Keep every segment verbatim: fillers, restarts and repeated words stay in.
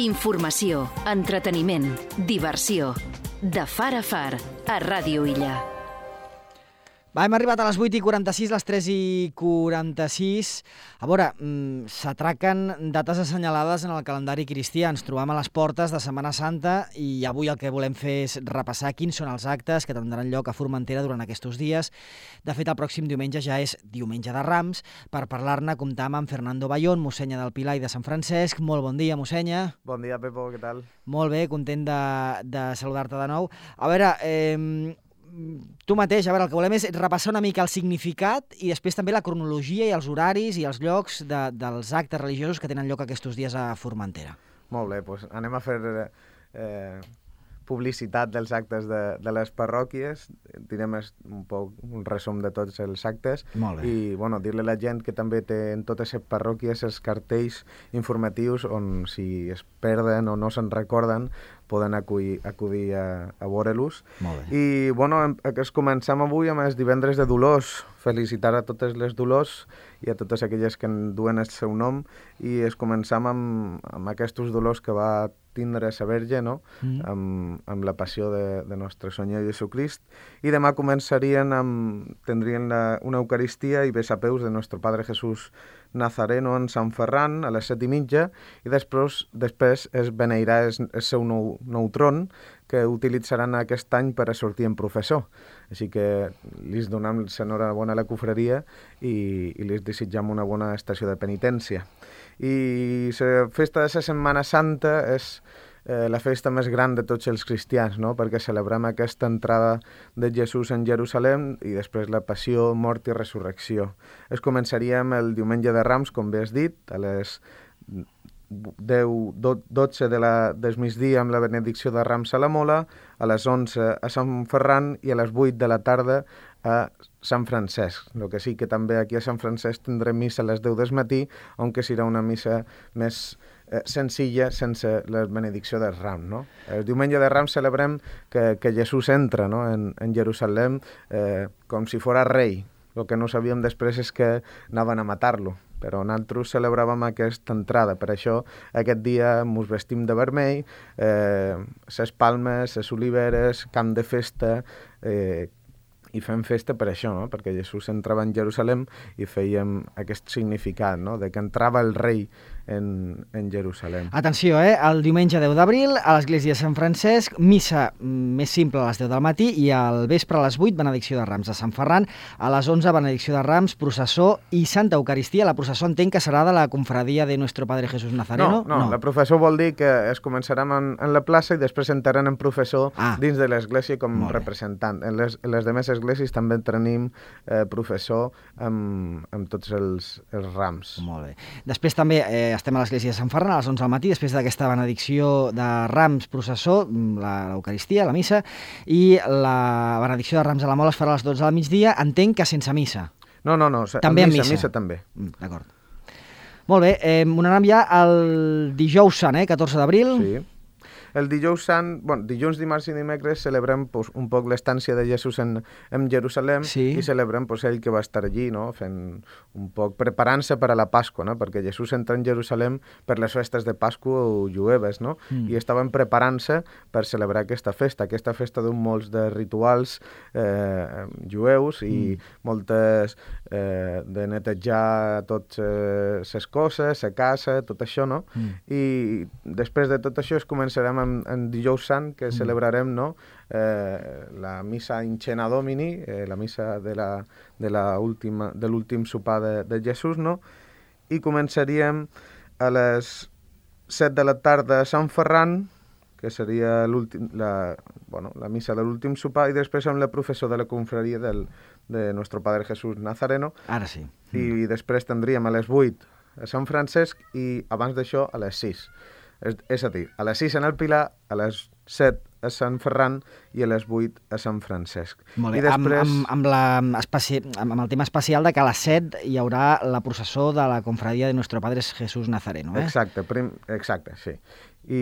Informació, entreteniment, diversió. De far a far, a Ràdio Illa. Va, hem arribat a les vuit i quaranta-sis, les tres i quaranta-sis. A veure, s'atraquen dates assenyalades en el calendari cristià. Ens trobam a les portes de Setmana Santa i avui el que volem fer és repassar quins són els actes que tindran lloc a Formentera durant aquests dies. De fet, el pròxim diumenge ja és diumenge de Rams. Per parlar-ne comptam amb Fernando Bayón, mossenya del Pilar i de Sant Francesc. Molt bon dia, mossenya. Bon dia, Pepo, què tal? Molt bé, content de, de saludar-te de nou. A veure, eh, tu mateix, a veure, el que volem és repassar una mica el significat i després també la cronologia i els horaris i els llocs de, dels actes religiosos que tenen lloc aquests dies a Formentera. Molt bé, doncs anem a fer eh, publicitat dels actes de, de les parròquies, direm un poc un resum de tots els actes. Molt bé. I bueno, dir-li a la gent que també té en totes les parròquies els cartells informatius on si es perden o no se'n recorden poden acudir, acudir a, a veure-los. I bueno, es comencem avui amb els divendres de Dolors, felicitar a totes les Dolors i a totes aquelles que en duen el seu nom, i es comencem amb, amb aquests dolors que va tindre la Verge, no? Mm. amb, amb la passió de, de Nostre Senyor Jesucrist, i demà començarien amb, tindrien la, una Eucaristia i besapeus de Nostre Padre Jesús Nazareno en Sant Ferran a les set i mitja, i després, després es beneirà el, el seu nou, nou tron que utilitzaran aquest any per a sortir en professor. Així que li donem l'enhorabona a la cofreria i, i li desitjam una bona estació de penitència. I la festa de la Setmana Santa és eh, la festa més gran de tots els cristians, no? Perquè celebrem aquesta entrada de Jesús en Jerusalem i després la passió, mort i resurrecció. Es començaríem el diumenge de Rams, com bé has dit, a les deu, dotze de la, del migdia amb la benedicció de Rams a la Mola, a les onze a Sant Ferran i a les vuit de la tarda a Sant Francesc. El que sí que també aquí a Sant Francesc tindrem missa a les deu del matí, on que serà una missa més eh, senzilla, sense la benedicció del Ram, no? El diumenge de Rams celebrem que, que Jesús entra, no? en, en Jerusalem eh, com si fora rei. El que no sabíem després és que anaven a matar-lo, però nosaltres celebràvem aquesta entrada. Per això aquest dia ens vestim de vermell, eh, ses palmes, ses oliveres, camp de festa, eh, i fem festa per això, no? Perquè Jesús entrava en Jerusalem i fèiem aquest significat, no? De que entrava el rei en, en Jerusalem. Atenció, eh? El diumenge deu d'abril a l'església de Sant Francesc, missa més simple a les deu del matí i al vespre a les vuit, benedicció de Rams a Sant Ferran, a les onze, benedicció de Rams, processó i Santa Eucaristia. La processó entenc que serà de la confradia de Nuestro Padre Jesús Nazareno? No, no, no. La processó vol dir que es començarem en, en la plaça i després entraran en professor ah. dins de l'església com representant. En les, en les demés esglésies també tenim eh, professor amb, amb tots els, els rams. Molt bé. Després també eh, estem a l'església de Sant Ferran a les onze del matí, després d'aquesta benedicció de Rams, processó, l'Eucaristia, la missa, i la benedicció de Rams a la Mola es farà a les dotze del migdia, entenc que sense missa. No, no, no, també missa, missa. missa també. Mm, d'acord. Molt bé, eh, anem ja al dijous sant, eh, catorze d'abril. Sí. El dijous sant, bueno, dilluns, dimarts i dimecres celebrem pues, un poc l'estància de Jesús en, en Jerusalem sí. i celebrem pues, ell que va estar allí, no? Fent un poc, preparant-se per a la Pasqua, no? Perquè Jesús entra en Jerusalem per les festes de Pasqua jueves, no? Mm. I estaven preparant-se per celebrar aquesta festa, aquesta festa d'un molts de rituals eh, jueus i mm. moltes eh, de netejar totes les coses, la casa, tot això, no? Mm. I després de tot això es començarem en, en dijous sant, que mm. celebrarem, no? Eh, la missa in cena domini, eh, la missa de la, de la última, de l'últim sopar de, de Jesús, no? I començaríem a les set de la tarda a Sant Ferran, que seria la, bueno, la missa de l'últim sopar, i després amb la professor de la confraria del, de Nuestro Padre Jesús Nazareno. Ara sí. Mm. I després tindríem a les vuit a Sant Francesc i abans d'això a les sis. És, és a dir, a les sis en el Pilar, a les set a Sant Ferran i a les vuit a Sant Francesc. Molt bé, I després... amb, amb, amb, la especi... amb el tema especial de que a les set hi haurà la processó de la confradia de Nuestro Padre Jesús Nazareno. Eh? Exacte, prim... exacte, sí. I,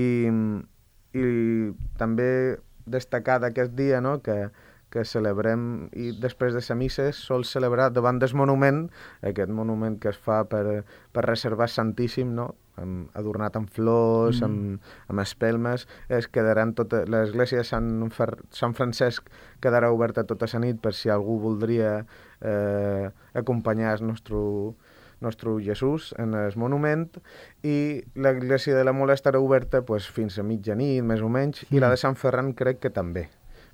i també destacar d'aquest dia, no?, que, que celebrem, i després de la missa sol celebrar davant del monument, aquest monument que es fa per, per reservar Santíssim, no? Amb, adornat amb flors, mm. amb, amb espelmes, es quedaran tota, l'església de Sant, Fer, Sant Francesc quedarà oberta tota la nit per si algú voldria eh, acompanyar el nostre, nostre Jesús en el monument, i l'església de la Mola estarà oberta pues, fins a mitjanit, més o menys, mm. i la de Sant Ferran crec que també,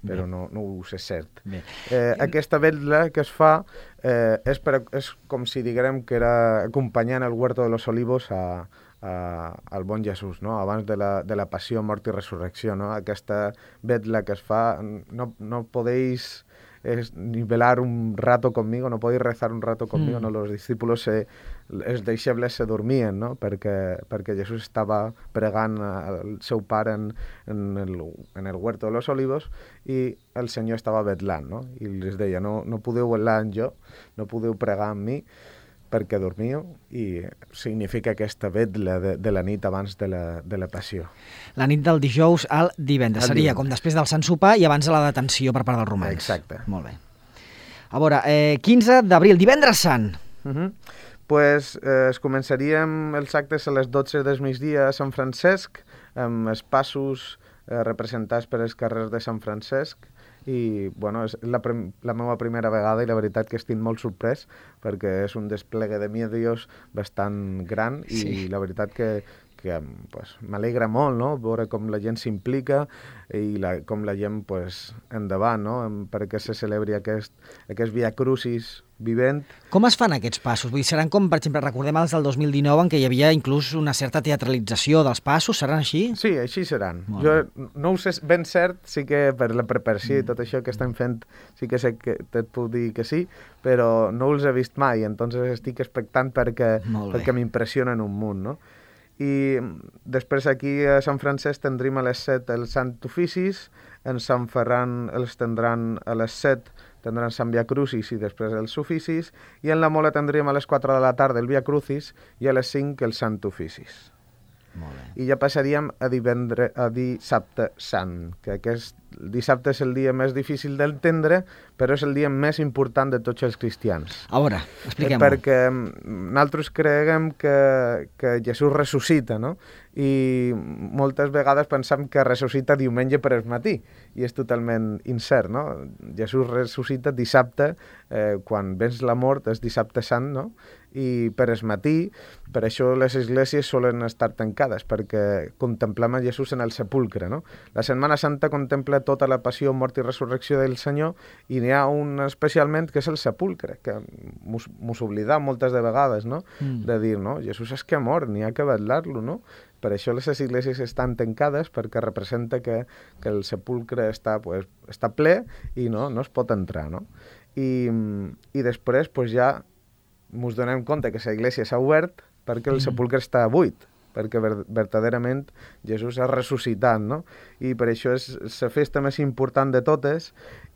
però no, no ho sé cert. Eh, aquesta vetla que es fa eh, és, per, és com si diguem que era acompanyant el Huerto de los Olivos a, a, al bon Jesús, no? Abans de la, de la passió, mort i resurrecció. No? Aquesta vetla que es fa, no, no podéis es, ni velar un rato conmigo, no podéis rezar un rato conmigo, mm. no? Los discípulos, se, els deixebles se dormien, no? perquè, perquè Jesús estava pregant al seu pare en, en, el, en el Huerto de los Olivos i el Senyor estava vetlant, no? I els deia, no, no podeu velar en jo, no podeu pregar en mi, perquè dormiu, i significa aquesta vetla de, de la nit abans de la, de la passió. La nit del dijous al divendres. El Seria divendres. Com després del Sant Sopar i abans de la detenció per part dels romans. Exacte. Molt bé. A veure, eh, quinze d'abril, divendres sant. Uh -huh. Pues eh, es començaríem els actes a les dotze del migdia a Sant Francesc, amb els passos eh, representats per els carrers de Sant Francesc, i bueno, és la, la meva primera vegada i la veritat que estic molt sorprès perquè és un desplegue de medios bastant gran i sí. La veritat que, que pues, m'alegra molt, no? Veure com la gent s'implica i la, com la gent pues, endavant, no? Perquè se celebri aquest, aquest Via Crucis vivent. Com es fan aquests passos? Vull dir, seran com, per exemple, recordem els del dos mil dinou en què hi havia inclús una certa teatralització dels passos, seran així? Sí, així seran. Molt jo bé. No ho sé ben cert, sí que per la preparació mm. i tot això que estem fent sí que sé que et puc dir que sí, però no els he vist mai, entonces estic expectant perquè, perquè m'impressionen un munt, no? I després aquí a Sant Francesc tindrem a les set els Sant Oficis, en Sant Ferran els tindran a les set, tindran Sant Via Crucis i després els Oficis, i en la Mola tindríem a les quatre de la tarda el Via Crucis i a les cinc els Sant Oficis. Molt bé. I ja passaríem a, divendre, a dissabte sant, que aquest dissabte és el dia més difícil d'entendre, però és el dia més important de tots els cristians. A veure, expliquem-ho. Perquè nosaltres creiem que, que Jesús ressuscita, no? I moltes vegades pensam que ressuscita diumenge per al matí, i és totalment incert, no? Jesús ressuscita dissabte, eh, quan vens la mort és dissabte sant, no? I per al matí, per això les esglésies solen estar tancades, perquè contemplem a Jesús en el sepulcre, no? La Setmana Santa contempla tota la passió, mort i resurrecció del Senyor, i n'hi ha un especialment que és el sepulcre, que mos, mos oblidam moltes de vegades, no? Mm. De dir, no? Jesús és que ha mort, n'hi ha que vetllar-lo, no? Per això les esglésies estan tancades, perquè representa que, que el sepulcre està, pues, està ple i no, no es pot entrar, no? I, i després pues, ja ens donem compte que l'església s'ha obert perquè el sepulcre està buit, perquè ver, verdaderament Jesús ha ressuscitat, no? I per això és la festa més important de totes,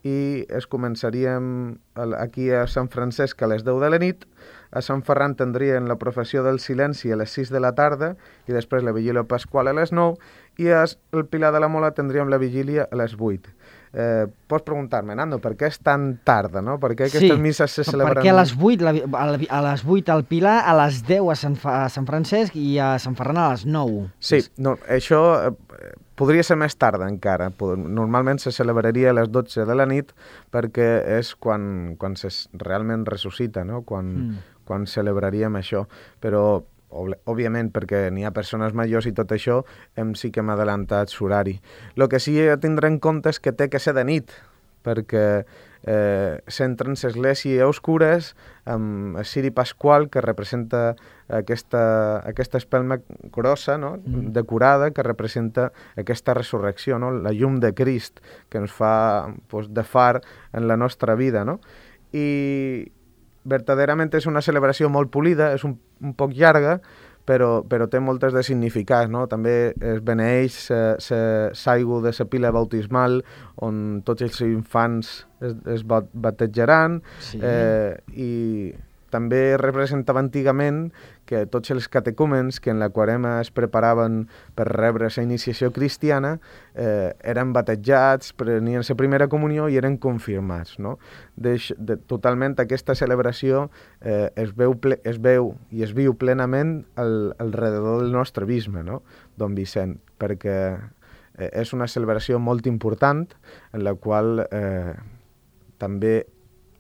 i es començaríem aquí a Sant Francesc a les deu de la nit, a Sant Ferran tindrien la professió del silenci a les sis de la tarda i després la vigília pasqual a les nou, i al Pilar de la Mola tindríem la vigília a les vuit. Eh, pots preguntar-me, Nando, per què és tan tarda, no? Per què aquestes sí, misses se celebren... perquè a les vuit, a les vuit al Pilar, a les deu a Sant, a Sant Francesc i a Sant Ferran a les nou. Sí, no, això eh, podria ser més tarda encara. Normalment se celebraria a les dotze de la nit perquè és quan, quan se realment ressuscita, no? Quan, mm. quan celebraríem això. Però òbviament, perquè n'hi ha persones majors i tot això, hem sí que hem adelantat l'horari. El que sí he de tindre en compte és que té que ser de nit, perquè eh, s'entren l'església a oscures amb el ciri pasqual, que representa aquesta, aquesta espelma grossa, no? mm. decorada, que representa aquesta resurrecció, no? La llum de Crist, que ens fa pues, de far en la nostra vida, no? I verdaderament és una celebració molt polida, és un, un poc llarga, però, però té moltes de significats, no? També es beneeix l'aigua de la pila bautismal, on tots els infants es, es batejaran, sí. eh, i també representava antigament que tots els catecúmens que en la quarema es preparaven per rebre la iniciació cristiana eh, eren batejats, prenien la primera comunió i eren confirmats, no? Deix, de, totalment aquesta celebració eh, es, veu ple, es veu i es viu plenament al, al rededor del nostre bisbe, no? Don Vicent, perquè eh, és una celebració molt important en la qual eh, també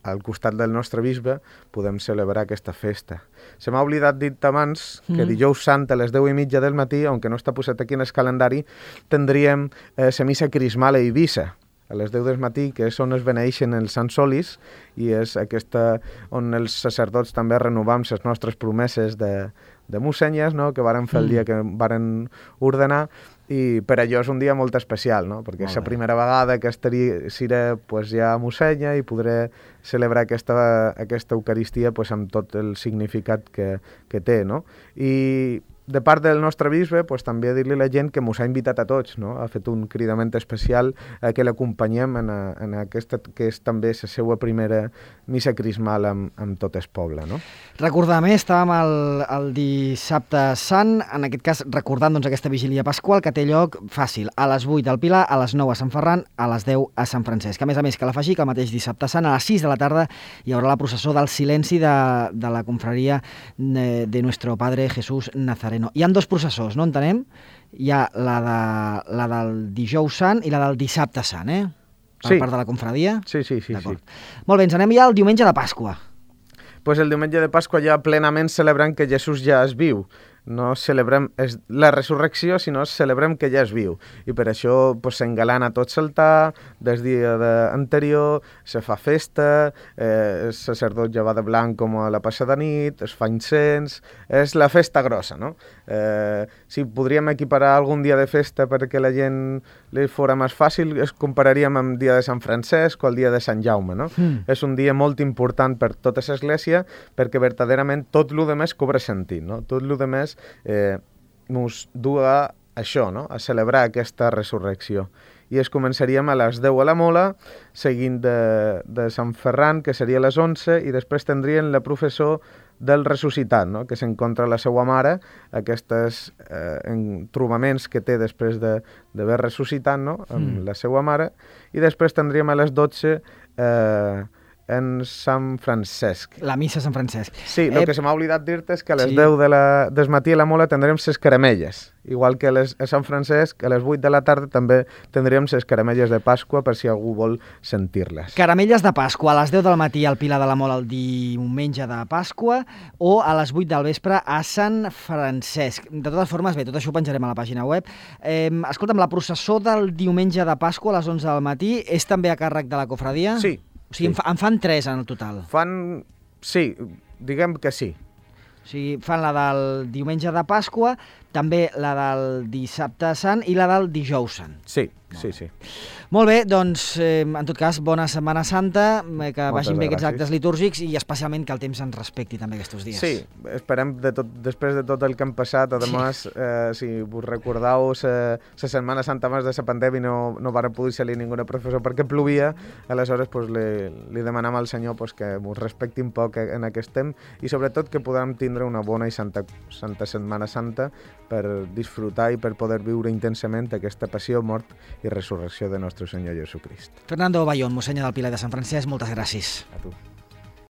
al costat del nostre bisbe podem celebrar aquesta festa. Se m'ha oblidat dir abans que mm. dijous sant a les deu i mitja del matí, aunque no està posat aquí en el calendari, tindríem eh, la missa crismal a Eivissa, a les deu del matí, que és on es beneixen els Sant Solis, i és aquesta on els sacerdots també renovam les nostres promeses de, de mussenyes, no?, que varen fer el dia que varen ordenar, i per allò és un dia molt especial, no?, perquè és la primera vegada que estaria, seré pues, ja a Mussenya i podré celebrar aquesta, aquesta Eucaristia pues, amb tot el significat que, que té, no? I de part del nostre bisbe, pues, també dir-li a la gent que mos ha invitat a tots, no? Ha fet un cridament especial a que l'acompanyem en, a, en aquesta, que és també la seva primera missa crismal amb, amb tot el poble, no? Recordar més, estàvem el, el dissabte sant, en aquest cas recordant doncs, aquesta vigília pasqual que té lloc fàcil, a les vuit al Pilar, a les nou a Sant Ferran, a les deu a Sant Francesc. A més a més, cal afegir que el mateix dissabte sant, a les sis de la tarda, hi haurà la processó del silenci de, de la confraria de, de Nuestro Padre Jesús Nazareno. Hi ha dos processors, no entenem? Hi ha la, de, la del dijous sant i la del dissabte sant, eh? Per sí. part de la confraria? Sí, sí, sí. sí. Molt bé, ens anem ja al diumenge de Pasqua. Pues el diumenge de Pasqua ja plenament celebrant que Jesús ja es viu. No celebrem és la resurrecció, sinó celebrem que ja es viu. I per això pues, s'engalana tot l'altar, des dia de anterior, se fa festa, eh, el sacerdot ja va de blanc com a la passada nit, es fa incens, és la festa grossa, no? Eh, si podríem equiparar algun dia de festa perquè la gent li fora més fàcil, es compararíem amb el dia de Sant Francesc o el dia de Sant Jaume, no? Mm. És un dia molt important per tota l'església perquè verdaderament tot el que més cobra sentit, no? Tot el que més Eh, ens du a això, no? A celebrar aquesta resurrecció. I es començaríem a les deu a la Mola, seguint de, de Sant Ferran, que seria a les onze, i després tindrien la professó del ressuscitat, no? Que s'encontra la seva mare, aquests eh, trobaments que té després d'haver ressuscitat, no? Amb mm. la seva mare, i després tindríem a les dotze eh, en Sant Francesc. La missa a Sant Francesc. Sí, el eh... que se m'ha oblidat dir-te és que a les sí. deu de la, del matí a la Mola tindrem ses caramelles. Igual que a, les, a Sant Francesc, a les vuit de la tarda també tindríem ses caramelles de Pasqua per si algú vol sentir-les. Caramelles de Pasqua a les deu del matí al Pilar de la Mola el diumenge de Pasqua o a les vuit del vespre a Sant Francesc. De totes formes, bé, tot això ho penjarem a la pàgina web. Eh, escolta'm, la processó del diumenge de Pasqua a les onze del matí és també a càrrec de la cofradia? Sí. O sigui, sí. en fan tres en el total. Fan... Sí, diguem que sí. O sigui, fan la del diumenge de Pasqua, també la del dissabte sant i la del dijous sant. Sí, sí, sí. Molt bé, doncs, eh, en tot cas, bona Setmana Santa, eh, que Moltes vagin bé aquests gràcies. actes litúrgics i especialment que el temps ens respecti també aquests dies. Sí, esperem, de tot, després de tot el que hem passat, además, sí. eh, si vos recordeu, la Setmana Santa abans de la pandèmia no, no va poder salir ningú professor perquè plovia, aleshores pues, li, li demanam al Senyor pues, que ens respecti un poc en aquest temps i sobretot que podem tindre una bona i santa, santa Setmana Santa per disfrutar i per poder viure intensament aquesta passió, mort i resurrecció de nostre Senyor Jesucrist. Fernando Bayón, mossènyer del Pilar de Sant Francesc, moltes gràcies. A tu.